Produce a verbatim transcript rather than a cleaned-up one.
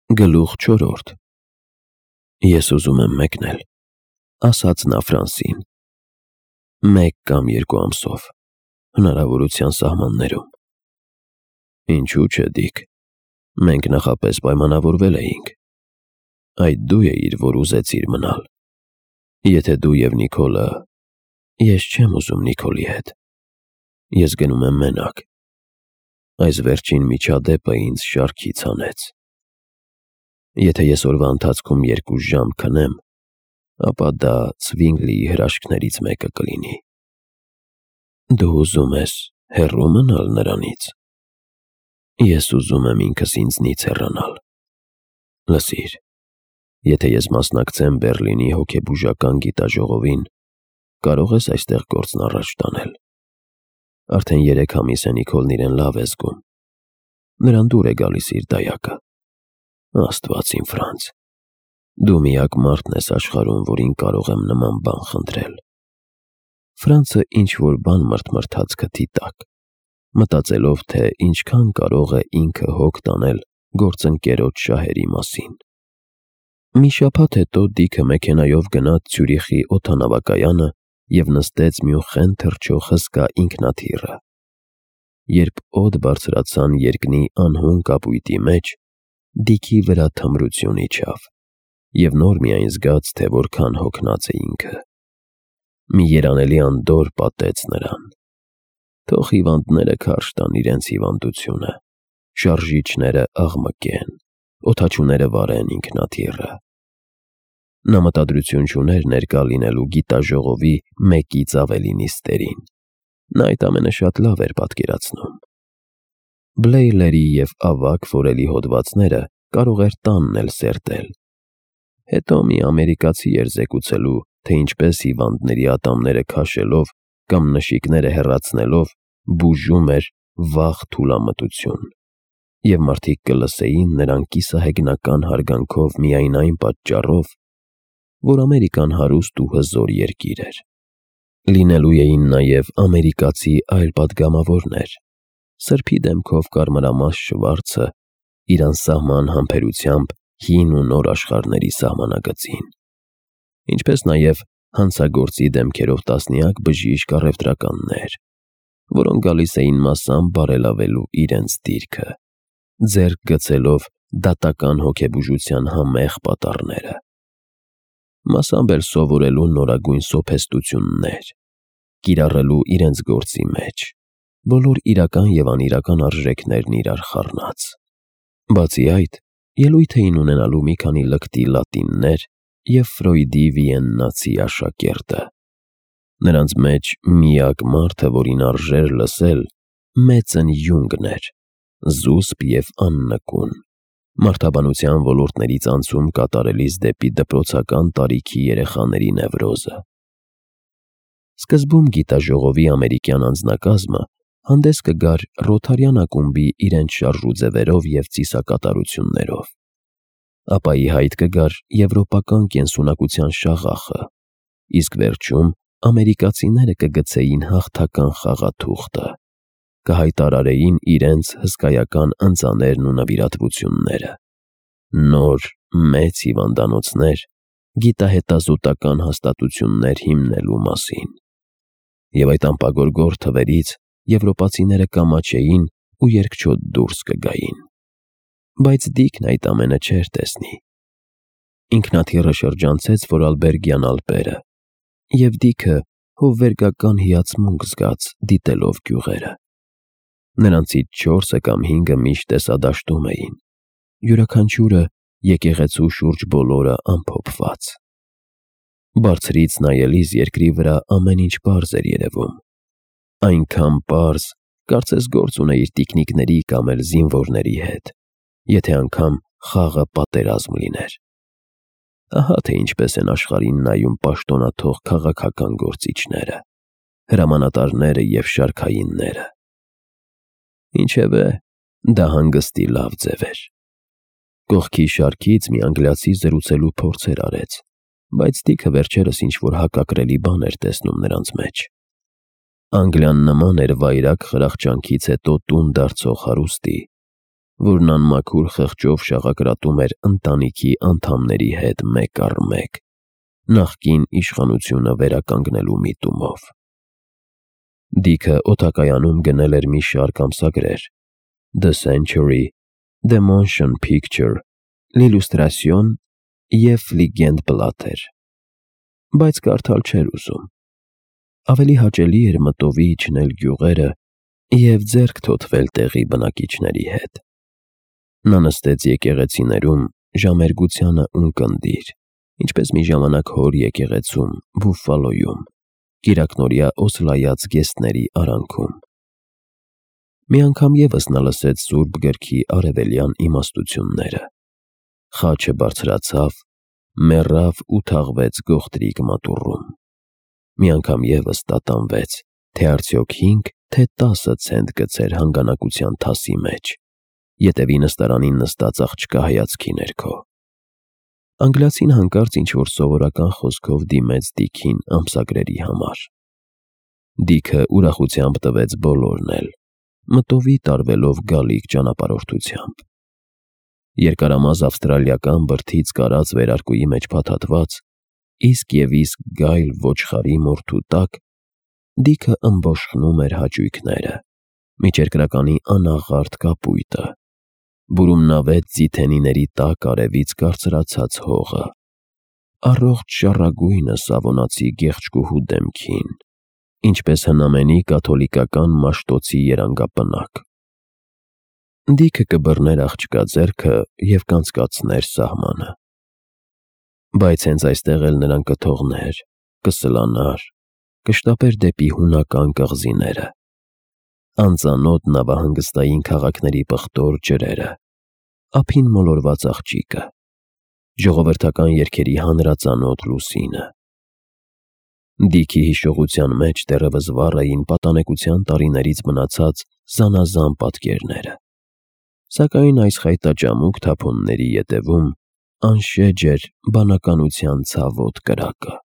Գլուխ չորրորդ Ես ուզում եմ մեկնել, ասաց նա Ֆրանսին, մեկ կամ երկու ամսով, հնարավորության սահմաններում։ Ինչու՞ չէ, Դիք, մենք նախապես պայմանավորվել էինք։ Այդ դու էիր, որ ուզեցիր մնալ։ Եթե դու և Նիկոլը… Ես չեմ ուզում Նիկոլի հետ։ Ես գնում եմ մենակ։ Այս վերջին միջադեպը ինձ շարքից հանեց։ Եթե ես օրվա ընթացքում երկու ժամ քնեմ, ապա դա Ցվինգլիի հրաշքներից մեկը կլինի։ Դու ուզում ես հեռու մնալ նրանից։ Ես ուզում եմ ինքս ինձնից հեռանալ։ Լսիր, եթե ես մասնակցեմ Բեռլինի հոգեբուժական գիտաժողովին, կարող ես այստեղ գործն առաջ տանել։ Արդեն երեք ամիս է Նիկոլն իրեն լավ է զգում։ Նրան դուր է գալիս իր դայակը։ Աստված իմ Ֆրանց, դու միակ մարդն ես աշխարհում, որին կարող եմ նման բան խնդրել։ Ֆրանցը ինչ-որ բան մրթմրթաց քթի տակ, մտածելով, թե ինչքան կարող է ինքը հոգ տանել գործընկերոջ շահերի մասին։ Մի շաբաթ հետո Դիքը մեքենայով գնաց Ցյուրիխի օդանավակայանը և նստեց մի ուղղեն թռչող հսկա ինքնաթիռը։ Երբ օդ բարձրացան երկնի անհուն կապույտի մեջ, Դիքի վրա թմրություն իջավ, և նոր միայն զգաց, թե որքան հոգնած է ինքը։ Մի երանելի անդորր պատեց նրան։ Թող հիվանդները քարշ տան իրենց հիվանդությունը, շարժիչները աղմկեն, օդաչուները վարեն ինքնաթիռը։ Նա մտադրություն չուներ ներկա լինելու գիտաժողովի մեկից ավելի նիստերին։ Նա այդ ամենը շատ լավ էր պատկերացնում։ Բլեյլերի և ավագ ֆորելի հոդվածները կարող էր տանն էլ սերտել։ Հետո մի ամերիկացի էր զեկուցելու, թե ինչպես հիվանդների ատամները քաշելով կամ նշիկները հեռացնելով բուժում էր վաղ թուլամտություն, և մարդիկ կլսեին նրան կիսահեգնական հարգանքով միայն այն պատճառով, որ Ամերիկան հարուստ ու հզոր երկիր էր։ Լինելու էին նաև ամերիկացի այլ պատգամավորներ, սրբի դեմքով կարմրամաս Շվարցը իր անսահման համբերությամբ հին ու նոր աշխարհների սահմանագծին, ինչպես նաև հանցագործի դեմքերով տասնյակ բժիշկ առևտրականներ, որոնք գալիս էին մասամբ բարելավելու իրենց դիրքը, ձեռք գցելով դատական հոգեբուժության համեղ պատառները, մասամբ էլ սովորելու նորագույն սոփեստություններ, կիրառելու իրենց գործի մեջ բոլոր իրական և անիրական արժեքներն իրար խառնած։ Բացի այդ, ելույթ էին ունենալու մի քանի լկտի լատիններ և Ֆրոյդի վիեննացի աշակերտը։ Նրանց մեջ միակ մարդը, որին արժեր լսել, Մեծն Յունգն էր, զուսպ և աննկուն, մարդաբանության ոլորտներից անցում կատարելիս դեպի դպրոցական տարիքի երեխաների նևրոզը։ Սկզբում գիտաժողովի ամերիկյան անձնակազմը հանդես կգար Ռոթարյան ակումբի իրենց շարժուձևերով և ծիսակատարություններով, ապա ի հայտ կգար եվրոպական կենսունակության շաղախը, իսկ վերջում ամերիկացիները կգցեին հաղթական խաղաթուղթը, կհայտարարեին իրենց հսկայական ընծաներն ու նվիրատվությունները, նոր մեծ հիվանդանոցներ, գիտահետազոտական հաստատություններ հիմնելու մասին։ Եվ այդ անպագորգոր թվերից եվրոպացիները կամաչեին ու երկչոտ դուրս կգային։ Բայց Դիքն այդ ամենը չէր տեսնի։ Ինքնաթիռը շրջանցեց Ֆորարլբերգյան Ալպերը, և Դիքը հովվերգական հիացմունք զգաց դիտելով գյուղերը։ Նրանցից չորսը կամ հինգը միշտ տեսադաշտում էին, յուրաքանչյուրը եկեղեցու շուրջ բոլորը ամփոփված։ Բարձրից նայելիս երկրի վրա ամեն ինչ պարզ էր երևում։ Այնքան պարզ, կարծես գործ ունեիր տիկնիկների կամ էլ զինվորների հետ, եթե անգամ խաղը պատերազմ լիներ։ Ահա թե ինչպես են աշխարհին նայում պաշտոնաթող քաղաքական գործիչները, հրամանատարները և շարքայինները։ Ինչևէ, դա հանգստի լավ ձև էր։ Կողքի շարքից մի անգլիացի զրուցելու փորձեր արեց, բայց Դիքը վերջերս ինչ-որ հակակրելի բան էր տեսնում նրանց մեջ։ Անգլիան նման էր վայրագ խրախճանքից հետո տուն դարձող հարուստի, որն անմաքուր խղճով շաղակրատում էր ընտանիքի անդամների հետ մեկ առ մեկ, նախկին իշխանությունը վերականգնելու միտումով։ Դիքը օդակայանում գնել էր մի շարք ամսագրեր. The Century, The Motion Picture, L'Illustration և Fliegende-Blatter, բայց կարդալ չէր ուզում։ Ավելի հաճելի էր մտովի իջնել գյուղերը և ձեռք թոթվել տեղի բնակիչների հետ։ Նա նստեց եկեղեցիներում ժամերգությանը ունկնդիր, ինչպես մի ժամանակ հոր եկեղեցում Բուֆֆալոյում, կիրակնօրյա օսլայած գեստների արանքում։ Մի անգամ ևս նա լսեց Սուրբ Գրքի արևելյան իմաստությունները։ Խաչը բարձրացավ, մեռավ ու թաղվեց գողտրիկ մատուռում։ Մի անգամ ևս տատանվեց, թե արդյոք հինգ, թե տասը ցենտ գցեր հանգանակության թասի մեջ, ետևի նստարանին նստած աղջկա հայացքի ներքո։ Անգլիացին հանկարծ ինչ-որ սովորական խոսքով դիմեց Դիքին ամսագրերի համար։ Դիքը ուրախությամբ տվեց բոլորն էլ, մտովի տարվելով գալիք ճանապարհորդությամբ։ Երկարամազ ավստրալիական բրդից կարած վերարկուի մեջ փաթաթված, իսկ և իսկ գայլ ոչխարի մորթու տակ Դիքը ըմբոշխնում էր հաճույքները, միջերկրականի անաղարտ կապույտը, բուրումնավետ ձիթենիների տակ արևից կարծրացած հողը, առողջ շառագույնը Սավոնացի գեղեցկուհու դեմքին, ինչպես հնամենի կաթոլիկական Մաշտոցի երանգապնակ։ Դիքը կբռներ աղջկա ձեռքը և կանցկացներ սահմանը։ Բայց հենց այստեղ էլ նրան կթողներ, կսլանար, կշտապեր դեպի հունական կղզիները, անծանոթ նավահանգստային քաղաքների պղտոր ջրերը, ափին մոլորված աղջիկը, ժողովրդական երգերի հանրածանոթ լուսինը։ Դիքի հիշողության մեջ դեռևս վառ էին պատանեկության տարիներից մնացած զանազան պատկերները, սակայն այս խայտաճամուկ թափոնների ետևում անշեջ էր բանականության ցավոտ կրակը։